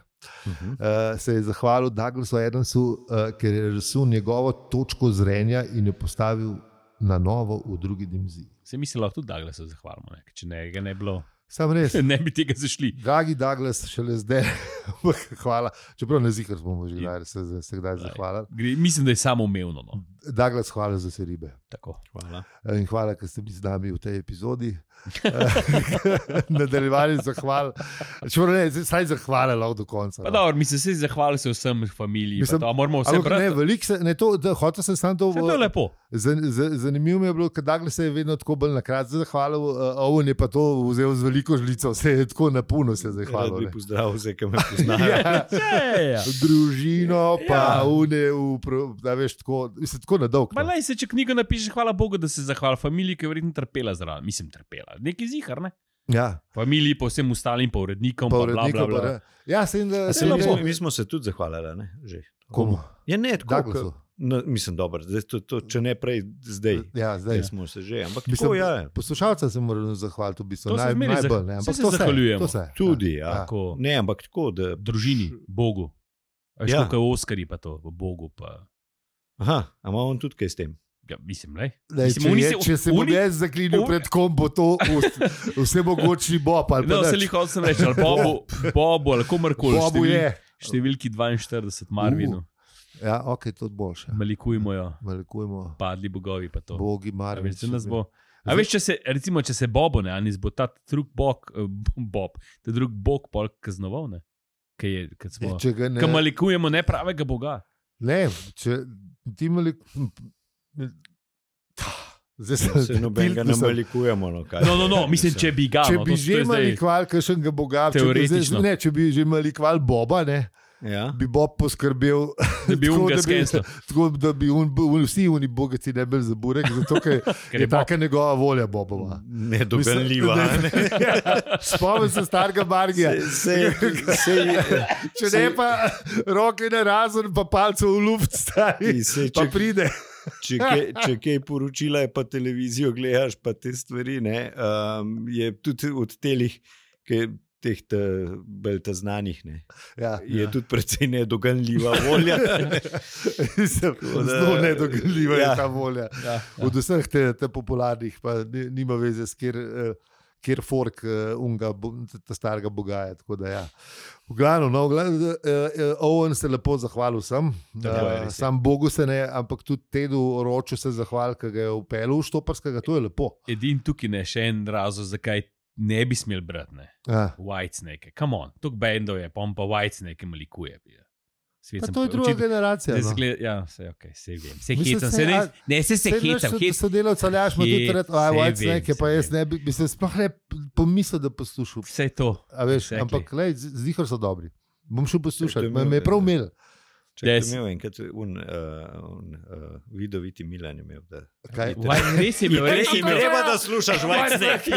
B: Se je zahvalil Douglasu Adamsu, ker je razsul njegovo točko zrenja in jo postavil na novo v drugi dimenziji.
A: Se misli, lahko tudi Douglasu zahvalimo, če ne bi bilo.
B: Sam res.
A: Ne bi tega zašli.
B: Dragi Douglas, šele zdaj. Hvala. Čeprav ne zikar smo že se kdaj zahvalili.
A: Mislim, da je samo umevno. No.
B: Douglas, hvala za vse ribe.
A: Tako, hvala.
B: In hvala, ker ste bili z nami v tej epizodi. Nadaljevali zahval. Čeprav ne, saj zahvale lahko do konca.
A: Pa dobro, mislim, se zahvali se vsem familiji. Moramo vse
B: brati. Hotel sem sam to.
A: To je lepo.
B: Zanimivo mi je bilo, ker Douglas se je vedno tako bolj nakrat zahvalil, Owen je pa to vzel z veliko žlico, se je tako napuno se zahvalil.
C: Rad bi pozdravil vse, ki me poznajo.
B: Družino, pa da veš, tako na dolg.
A: Ma lej se, če knjigo napišeš, hvala Bogu, da se zahvala familiji, ki je verjetno trpela zraven. Mislim, trpela. Neki zihar, ne?
B: Ja.
A: Familiji, pa vsem ostalim, pa urednikom, pa bla, bla, bla.
B: Ja,
C: mi smo se tudi zahvalili, ne? Že.
B: Komu?
C: Ja, ne, tako. Mislim, dobro, če ne prej zdaj.
B: Ja, zdaj.
C: Smo se že, ampak
B: mislim,
C: tako, ja.
B: Poslušalca se moramo zahvaliti, v bistvu.
A: Najbolj,
B: ne?
A: Ampak se zahvaljujemo.
C: Tudi, ja. Ne, ampak tako, da...
A: Družini, Bogu. Veš, kako je Oskari pa to, Bogu pa...
C: Aha, a ima on tudi kaj s tem?
A: Ja, mislim, lej.
B: Če se bom jaz zaklinil pred kom, bo to vse mogočni Bob.
A: No, se li hotel sem reči, ali Bobu, ali komarkoli.
B: Bobu je.
A: Številki 42, Marvinu.
B: Ja, ok, to je boljše.
A: Malikujmo jo. Padli bogovi pa to.
B: Bogi, Marvin.
A: A veš, če se Bobo, ne, Anis, bo ta drug bog, ta drug bog polk kaznoval, ne? Kaj malikujemo nepravega boga.
B: Ne, če ti
C: se nobenega ne malikujemo.
A: No, mislim, če bi ga.
B: Če bi že malikval kakšnega boga, če bi že malikval Boba, ne, bi Bob poskrbel, da bi vsi oni bogati ne bili za burek, zato ker je taka njegova volja Bobova.
C: Nedoganljiva.
B: Spomnim se starega Margija. Če ne pa roke na razen, pa palce v luft stari, pa pride.
C: Če kaj poročila je pa televizijo gledaš, pa te stvari, ne, je tudi od teh bolj znanih, ne. Je tudi precej nedoganljiva volja.
B: Zelo nedoganljiva je ta volja. Od vseh te popularnih, pa nima veze s kjer fork ta starega boga je, tako da ja. V glavno, Owen se lepo zahvalil vsem, sam Bogu se ne, ampak tudi Tedu Roču se zahvalil, ki ga je vpeljal v Štoparskega, to je lepo.
A: Edin tukaj ne, še en razlog, zakaj ne bi smel brati, ne. Whitesnake, come on, tuk bendov je, pa on pa Whitesnake malikuje.
B: Pa to je druga generacija.
A: Ja, se vem. Se hecam. Se hecam.
B: Sodelavca Aljaš ima tudi reči, Whitesnake, pa jaz ne bi se sploh ne pomislil, da poslušal.
A: Vse to.
B: A veš, ampak zihar so dobri. Bom šel poslušati, me je prav imel.
C: Imel enkrat vidoviti Milan je imel.
A: Res je imel.
C: Treba, da slušaš Whitesnake.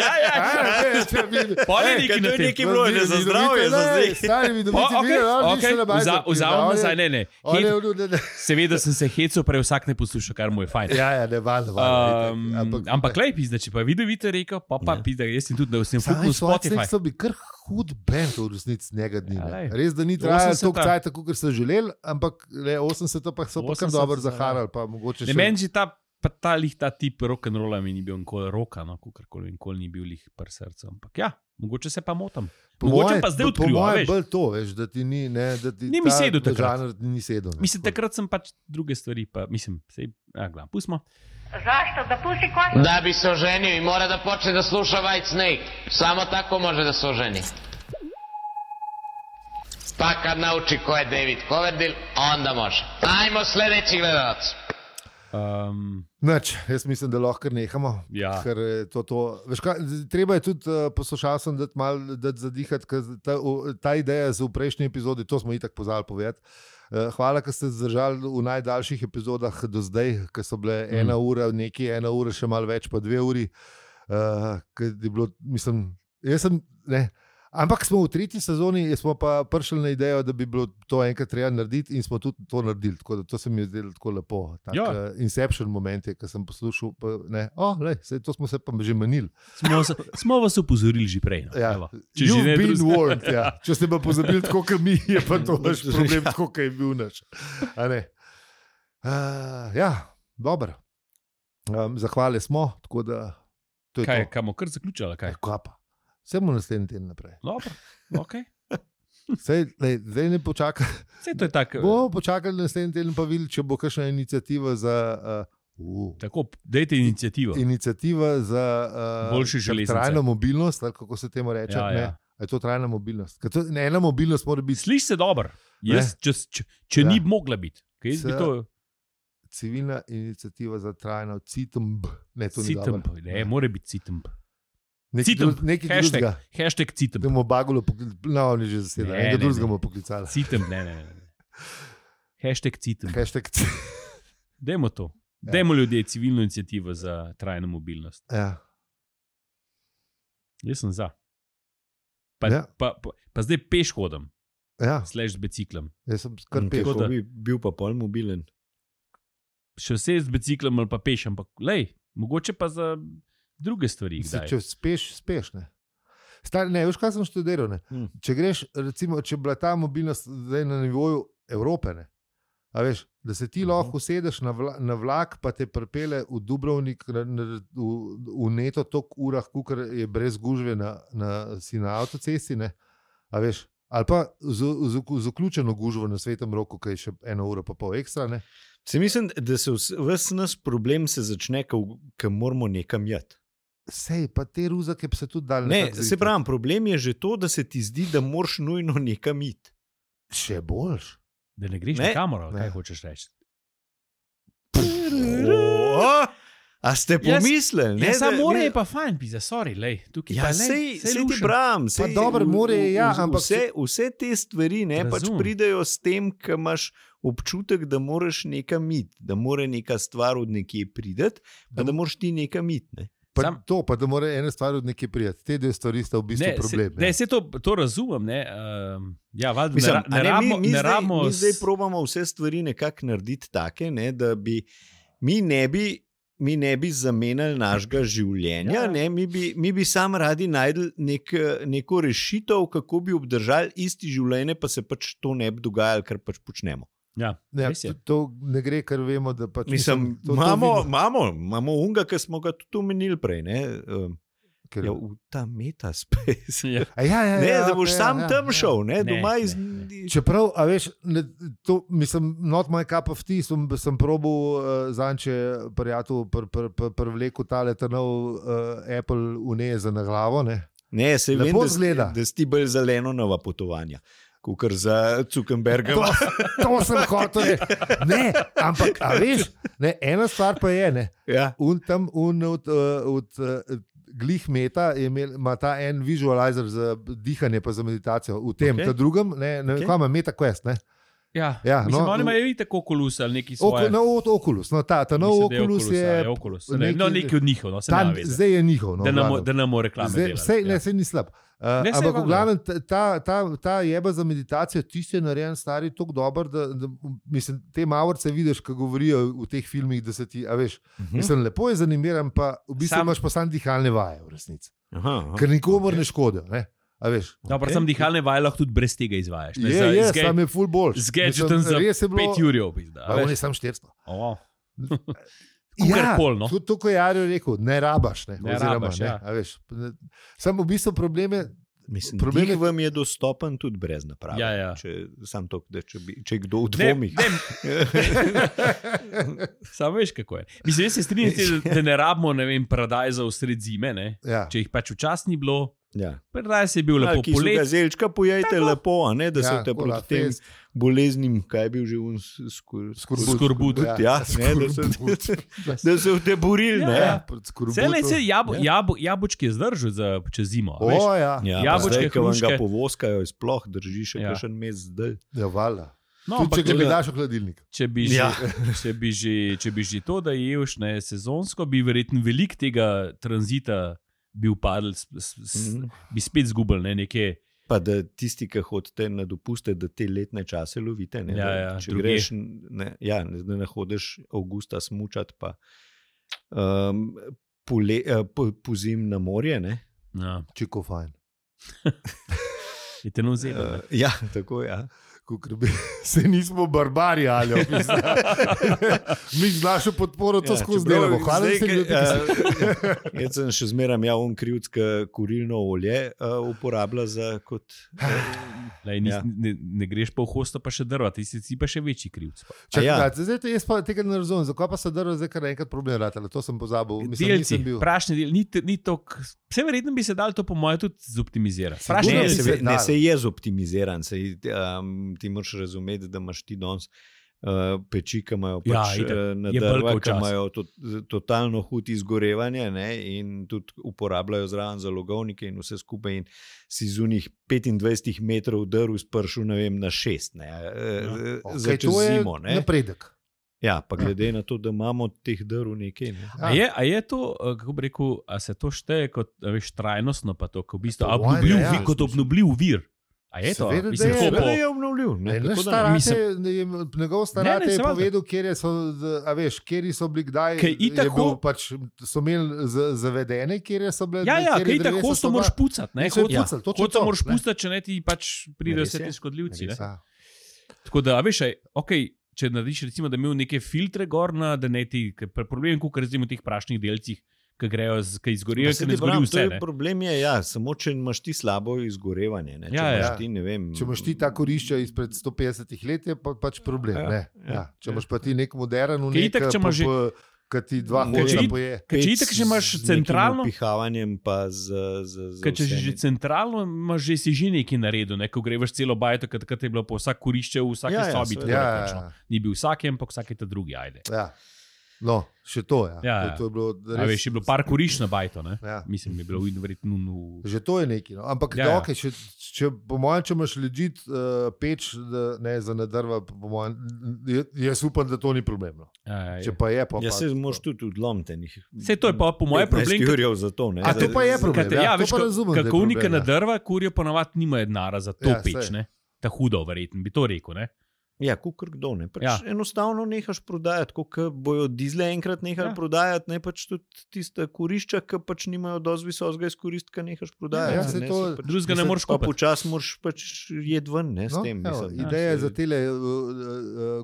A: To
C: je nekaj bilo, ne za zdravje, za zdaj.
A: Vzamem nazaj, ne. Seveda sem se hecal, prej vsak ne posluša, kar mu je fajn.
B: Ne, valjda.
A: Ampak lej, pizda, če pa vidovite rekel, pa pizda, jaz sem tudi, da sem fuknil Spotify.
B: So bi kar hud band v resnici njega dni. Res, da ni trajalo toliko cajta, kot so želeli, ampak 80 pa so pa kar dobro zaharali.
A: Meni že ta tip rock'n'rolla mi ni bil nikoli roka, kakorkoli nikoli ni bil lih par srca. Ampak ja, mogoče se pa motam. Mogoče pa zdaj odkril,
B: veš. Bolj to, veš, da ti ni, ne, da ti
A: ni mi sedel takrat.
B: Ni sedel.
A: Mislim, takrat sem pač druge stvari, pa mislim, gledam, pustimo.
D: Zašto? Da pusti kosu?
E: Da bi se oženio i mora da počne da sluša Whitesnake. Samo tako može da se oženi. Pa kad nauči ko je David Coverdale, onda može. Ajmo sljedeći gledalac.
B: Jaz mislim, da lahko nehamo.
A: Ja.
B: Ker to. Veš kaj, treba je tudi poslušalcem dati malo zadihati, ker ta ideja z v prejšnji epizodi, to smo itak pozabili povedati. Hvala, ker ste zdržali v najdaljših epizodah do zdaj, ker so bile 1 ura, nekaj 1 ura, še malo več, pa 2 uri. Ker je bilo, mislim, ampak smo v 3. sezoni, smo pa prišli na idejo, da bi bilo to enkrat treba narediti in smo tudi to naredili. Tako da to se mi je zdelo tako lepo. Inception moment je, ko sem poslušal. To smo se pa že menili.
A: Smo vas upozorili že prej.
B: Ja. You've been warned. Ja. Če ste pa pozabili tako, kot mi, je pa to naš problem, tako, kot je bil naš. Dobro. Zahvali smo, tako da to je
A: kaj,
B: to.
A: Kaj bomo kar zaključali? Kaj
B: pa? Vse bomo naslednji teden naprej.
A: Dobro, ok.
B: Zdaj ne počakaj.
A: To je tako.
B: Bomo počakali naslednji teden, pa videli, če bo kakšna iniciativa za.
A: Tako, dajte inicijativo.
B: Iniciativa za trajno mobilnost, ali kako se temu reče.
A: Ja.
B: Je to trajna mobilnost? Ena mobilnost mora biti.
A: Sliši se dobro. Če ni mogla biti.
B: Civilna inicijativa za trajno CITMB. Ne, to ni dobro.
A: Ne, mora biti CITMB.
B: Nekaj drugega.
A: Hashtag CITMB.
B: Da bomo Bagulo poklicali. No, oni že zasedali. Nekaj drugega bomo poklicali.
A: CITMB, ne. Hashtag CITMB. Dajmo to. Dajmo ljudje civilno inicijativo za trajno mobilnost.
B: Ja.
A: Jaz sem za. Pa zdaj peš hodam.
B: Ja.
A: Slash z biciklom.
B: Jaz sem kar peš.
C: Kako bi bil pa pol mobilen?
A: Še vse z biciklom ali pa peš, ampak mogoče pa za druge stvari.
B: Če speš, ne. Veš, kaj sem študiral, ne. Če greš, recimo, če bila ta mobilnost zdaj na nivoju Evrope, ne. A veš, da se ti lahko usedeš na vlak, pa te pripelje v Dubrovnik v neto toliko urah, kakor je brez gužve si na avtocesti, ne. A veš, ali pa z vključeno gužvo na Svetem Roku, ki je še 1 ura pa pol ekstra, ne.
C: Se mislim, da se ves nas problem se začne, ko moramo nekam jeti.
B: Sej, pa te ruzake bi se tudi dali.
C: Ne, se pravim, problem je že to, da se ti zdi, da moraš nujno nekam iti.
B: Še boljš.
A: Da ne greš na kamero, kaj hočeš reči?
C: A ste pomislili?
A: Ja, samo more je pa fajn, pisa, sorry, lej.
C: Ja, sej ti bram.
B: Pa dobro, more je, ja, ampak
C: vse te stvari pač pridejo s tem, ko imaš občutek, da moraš nekam iti, da mora neka stvar od nekje prideti, pa da moraš ti nekam iti, ne.
B: Pa da mora ena stvar od nekje prijeti. Te dve stvari sta v bistvu problem.
A: Ne, se to razumem, ne. Ja, valjda,
C: mi zdaj probamo vse stvari nekako narediti take, ne, da bi mi ne bi zamenjali našega življenja, ne, mi bi sam radi najdli neko rešitev, kako bi obdržali isti življenje, pa se pač to ne bi dogajalo, kar pač počnemo.
A: Ja,
B: to ne gre, ker vemo, da pač
C: imamo unga, ki smo ga tudi omenili prej, ne? V ta metaspace. Da boš sam tam šel, ne, doma iz...
B: Čeprav, a veš, to, mislim, not my cup of tea, sem probal zanče prijatelj prevleku tale trnov Apple uneze na glavo, ne.
C: Ne, se vem, da si bolj zelenonova potovanja. Kukor za Zuckerberga.
B: To sem hotel reči. Ne, ampak, a veš, ne, ena stvar pa je, ne.
C: Ja.
B: Od glih meta ima ta en visualizer za dihanje pa za meditacijo. V tem, ta drugem, ne, kaj ima MetaQuest, ne.
A: Ja,
B: Ja,
A: mislim,
B: no,
A: oni imajo tako Oculus ali neki svoj.
B: Oculus. No, ta nov Oculus je.
A: Oculus. Neki od njihov, no, se ne ve.
B: Zdaj je njihov. No,
A: da ne more reklame.
B: Vse ni slab. Ampak v glavnem ta jeba za meditacijo, tisti je narejen stari tako dober, da mislim, te mavorce vidiš, ko govorijo v teh filmih, da se ti, a veš, mislim, lepo je zanimiran, pa v bistvu imaš pa sam dihalne vaje v resnici. Ker nikomor ne škodijo, ne? A veš.
A: No, sem dihalne vaje lahko tudi brez tega izvajaš.
B: Sam je full boljši.
A: Z gadgetom za 5 ur.
B: On je sam 400.
A: Ja, no.
B: To, ko je Jarjo rekel, ne rabaš.
A: Ne rabaš, ja.
B: Samo v bistvu problem
C: je, vam je dostopen tudi brez naprave.
A: Ja.
C: Če kdo v dvomih.
A: Samo veš, kako je. Mislim, jaz se strinjam, da ne rabimo, ne vem, paradajza v sred zime, ne?
B: Ja.
A: Če jih pač včasih ni bilo.
C: Ja.
A: Paradajz je bil lepo polet.
C: Gazelčka pojejte lepo, a ne, da se te proti tem boleznim, kaj je bil že
A: skorbut.
C: Ja, da se v te borili.
A: Jabučki je zdržal za čez zimo.
C: Jabučke, ki vam ga povoskajo, sploh drži še kakšen mesec zdaj.
B: Ja, valjda. No, če bi daš v hladilnik.
A: Če bi že to, da ješ sezonsko, bi verjetno veliko tega tranzita bi upadl, bi spet zgubili nekaj.
C: Pa da tisti, ki hodite na dopuste, da te letne čase lovite. Ne? Če greš, ne hodiš avgusta smučati, pa pozim na morje.
A: Ja.
B: Čiko fajn.
A: Je te nozelo.
C: Ja, tako je. Ja.
B: Se nismo barbari, ali mi z našo podporo to skozi delamo.
C: Jaz sem še zmeraj krivdska kurilno olje uporablja za kot...
A: Ne greš pa v hosto, pa še drva, ti si pa še večji krivc.
B: Jaz pa tega ne razumem, zakaj pa se drva zdaj kar enkrat problem ratala, to sem pozabil.
A: Delci, prašni del, ni to... Vse verjetno bi se dal to po moje tudi zoptimizirati.
C: Ne, se je zoptimiziran, ti moraš razumeti, da imaš ti danes peči, ki imajo na drva, ki imajo totalno hud izgorevanje, in tudi uporabljajo zraven zalogovnike in vse skupaj, in si z unih 25 metrov drv spršil, ne vem, na 6. Za čez zimo.
B: Napredek.
C: Ja, pa glede na to, da imamo teh drv nekaj. Ne?
A: A je to, kako bi rekel, a se to šteje kot trajnostno, pa to, kot v bistvu obnovljiv vir? A je to?
C: Mislim, da je obnovljiv.
B: Njegov starate je povedal, kjer so bili kdaj, so imeli zavedene, kjer so bile...
A: Ja, kaj tako hosto moraš pucati. Hosto moraš pucati, če ne ti pač pridejo vse te škodljivci. Tako da, če narediš, recimo, da imel neke filtre gor, da ne ti, problem je, kot recimo v teh prašnih delcih, ki grejo, ki izgorijo, ki ne izgorijo vse.
C: Problem je, samo če imaš ti slabo izgorevanje.
B: Če imaš ti ta korišča izpred 150 let, je pač problem. Če imaš pa ti nek modern, ki ti dva hoča poje.
A: Če itak, če imaš centralno...
C: Pihavanjem pa
A: če že centralno, imaš že si že nekaj naredil, ko greš celo bajto, kad je bilo po vsak korišče v vsaki sobi. Ni bil vsakem, ampak vsake ta drugi, ajde.
B: Ja. No, še to je. To je bilo
A: res... je bilo par kuriš na bajto, ne? Mislim, je bilo verjetno...
B: Že to je nekaj, no. Ampak če po mojem, če imaš legit peč za nadrva, po mojem, jaz upam, da to ni problem. No. Če pa je, pa...
C: Ja, se moraš tudi odlomiti.
A: Vse to je pa po mojem problem...
C: Za to, ne?
B: A to pa je problem,
A: to pa razumem, kako unika nadrva, kurijo ponavadi nimajo denara za to peč, ne? Ta hudo, verjetno, bi to rekel, ne?
C: Ja, kukor kdo, ne. Enostavno nehaš prodajati, ko bojo dizle enkrat nehali prodajati, ne pač tudi tiste kurišča, ki pač nimajo dosti visokega izkoristka, nehaš prodajati.
A: Drugega ne moreš kupiti.
C: Pa počas moraš pač jed ven, ne, s tem.
B: Ideja za tele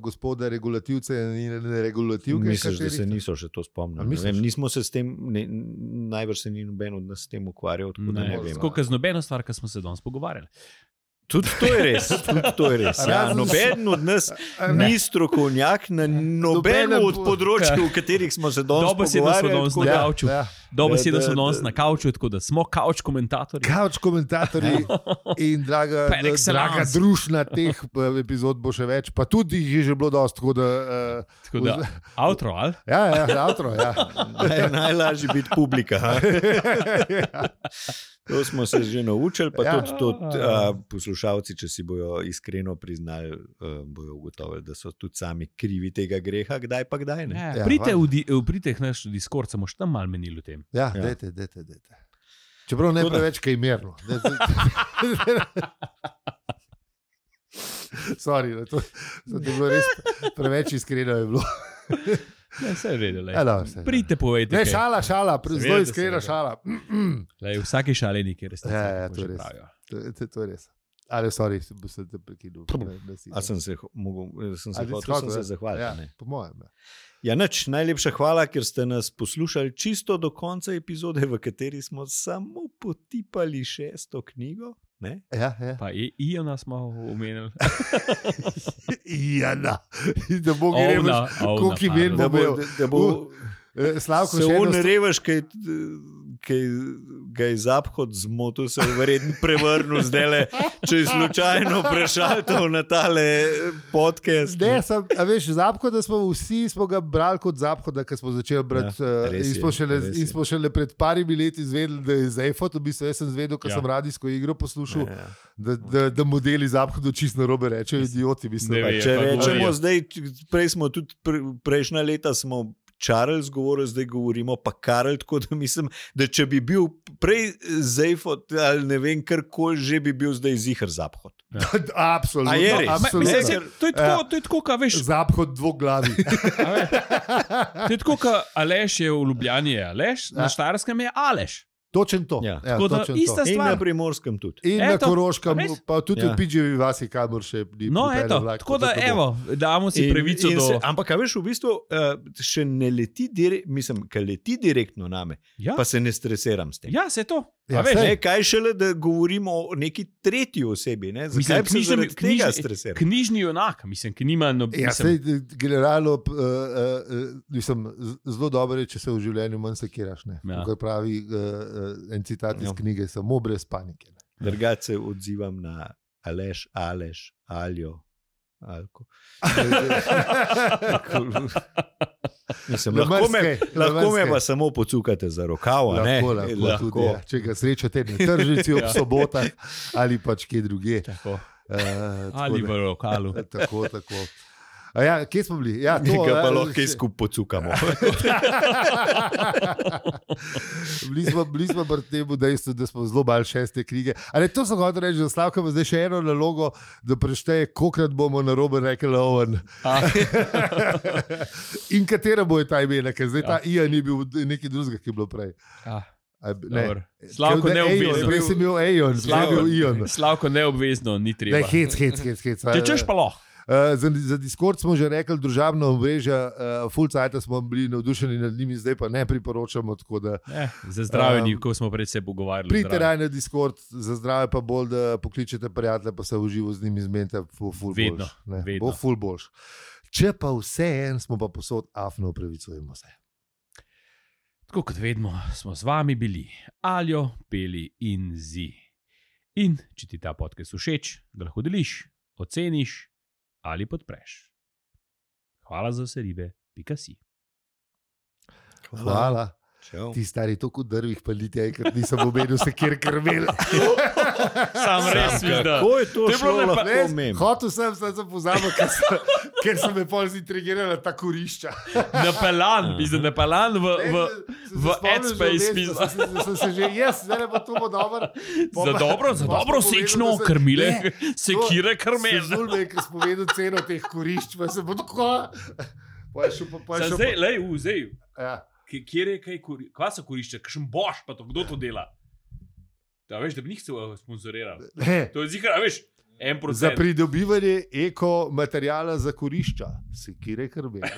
B: gospode regulativce in regulativke.
C: Misliš, da se niso še to spomnili? Nismo se s tem, najbrž se ni noben od nas s tem ukvarjal, tako da ne vem.
A: Skoliko z nobeno stvar, ki smo se danes pogovarjali.
C: Tudi to je res. Noben od nas ni strokovnjak na nobenem od področij, v katerih smo se danes pogovarjali.
A: Dobesedno smo danes na kavču, tako da smo kavč komentatorji.
B: Kavč komentatorji in draga družina teh epizod bo še več, pa tudi jih je že bilo dosti.
A: Tako da, outro, ali?
B: Ja, outro, ja.
C: Najlažje biti publika. To smo se že naučili, pa tudi poslušalci, če si bojo iskreno priznali, bojo ugotovili, da so tudi sami krivi tega greha, kdaj pa kdaj. Ne?
A: Ja, pridite v naš Discord, samo še tam malo menili o tem.
B: Ja, dajte. Čeprav ne preveč kaj merno. Sorry, to je bilo res preveč iskreno je bilo.
A: Ne, vse je vedelo. Pridite, povejte.
B: Ne, šala, zelo iskrena šala.
A: V vsaki šali nekaj resnice.
B: Ja, to je res. To je res. Ali, sorry, se te prekinul.
C: Sem se hotel zahvaliti.
B: Ja, po mojem.
C: Ja, nič, najlepša hvala, ker ste nas poslušali čisto do konca epizode, v kateri smo samo potipali 6. knjigo. Ne?
B: Ja.
A: Pa Iona smo omenili.
B: Iona. Da bo gremo, koliko imen
C: da bo
B: Slavko
C: se on revaš, kaj ga je Zaphod zmotil, se je verjetno prevrnil zdajle, če je slučajno prešaltal na tale podcast.
B: Ne, veš, Zaphoda smo ga brali kot Zaphoda, ko smo začeli brati. In smo šele pred parimi leti izvedeli, da je Zaphod, v bistvu jaz sem zvedel, ko sem radijsko igro poslušal, da modeli Zaphodu čisto narobe rečejo, idioti.
C: Če rečemo zdaj, prej smo tudi prejšnja leta smo Charles govoril, zdaj govorimo pa Karel, tako da mislim, da če bi bil prej Zaphod ali ne vem, karkoli že bi bil zdaj ziher Zaphod.
B: Absolutno.
A: To je tako, kaj veš.
B: Zaphod dvoglavi.
A: To je tako, kaj Aleš je v Ljubljani, je Aleš, na Štajerskem je Aleš.
B: Točen to.
C: Ja.
A: Tako da ista stvar.
C: In na Primorskem tudi.
B: In na Koroškem, pa tudi v Pidževi vasi, kamor še ni.
A: No, eto, tako da evo, damo si pravico do...
C: Ampak, veš, v bistvu še ne leti, mislim, kaj leti direktno name, pa se ne stresiram s tem.
A: Ja, se to.
C: Kaj šele, da govorimo o neki tretji osebi, ne? Zakaj bi se zaradi tega stresiral?
A: Knjižni junak, mislim, ki nima...
B: Generalno, mislim, zelo dobro je, če se v življenju manj sekiraš, ne? Kaj pravi en citat iz knjige, samo brez panike.
C: Drugače se odzivam na Aleš, Aljo, Alko. Mislim, lahko me pa samo pocukate za rokav.
B: Lahko. Če ga srečate na tržnici ob sobotah ali pač kje druge.
A: Ali v lokalu.
B: Tako. Ja, kje smo bili? Ja, to,
C: pa lahko skupaj pocukamo.
B: Bili smo pri tem dejstvu, da smo zelo bali 6. knjige. Ali to so hotel reči, da Slavka ima zdaj še eno nalogo, da prešteje, kolikrat bomo narobe rekli Owen. In katera bo je ta imena, ker zdaj ta Ian ni bil nekaj drugega, ki je bilo prej.
A: Slavko neobvezno.
B: Prej sem imel Ian.
A: Slavko neobvezno, ni treba.
B: Hec.
A: Če češ pa lahko.
B: Za Discord smo že rekli, družabna omrežja, full cajta smo bili navdušeni nad njimi, zdaj pa ne priporočamo.
A: Za zdravje, ko smo pred se pogovarjali.
B: Pridite raj na Discord, za zdravje pa bolj, da pokličete prijatelje, pa se v živo z njimi zmenite,
A: vedno.
B: Bo full boljš. Če pa vse en, smo pa posod afno upravičujemo se.
A: Tako kot vedno, smo z vami bili Aljo, Peli in Zi. In če ti ta podcast všeč, ga lahko deliš, oceniš ali podpreš. Hvala za vse ribe, _si.
B: Hvala. Ti stari toliko drvih pa liti, ker nisem omenil se kjer krmel.
A: Sam res vidim.
C: Kako je to šlo lahko mem?
B: Hotel sem pozabil, ker sem me pol zintrigirala ta kurišča.
A: Napelan v Adspace.
B: Sem se že, zdaj pa to bo dobro.
A: Za dobro sečno krmile, sekire krmel.
B: Se zulme, ker sem povedal ceno teh kurišč, pa se bo tako...
A: Zdaj. Ja. Kjer je kaj so kurišče, kakšen boš pa to, kdo to dela? Da veš, da bi njih se sponzoriral. To je zikar, veš, 1%.
B: Za pridobivanje eko materijala za kurišča, sekire krmel.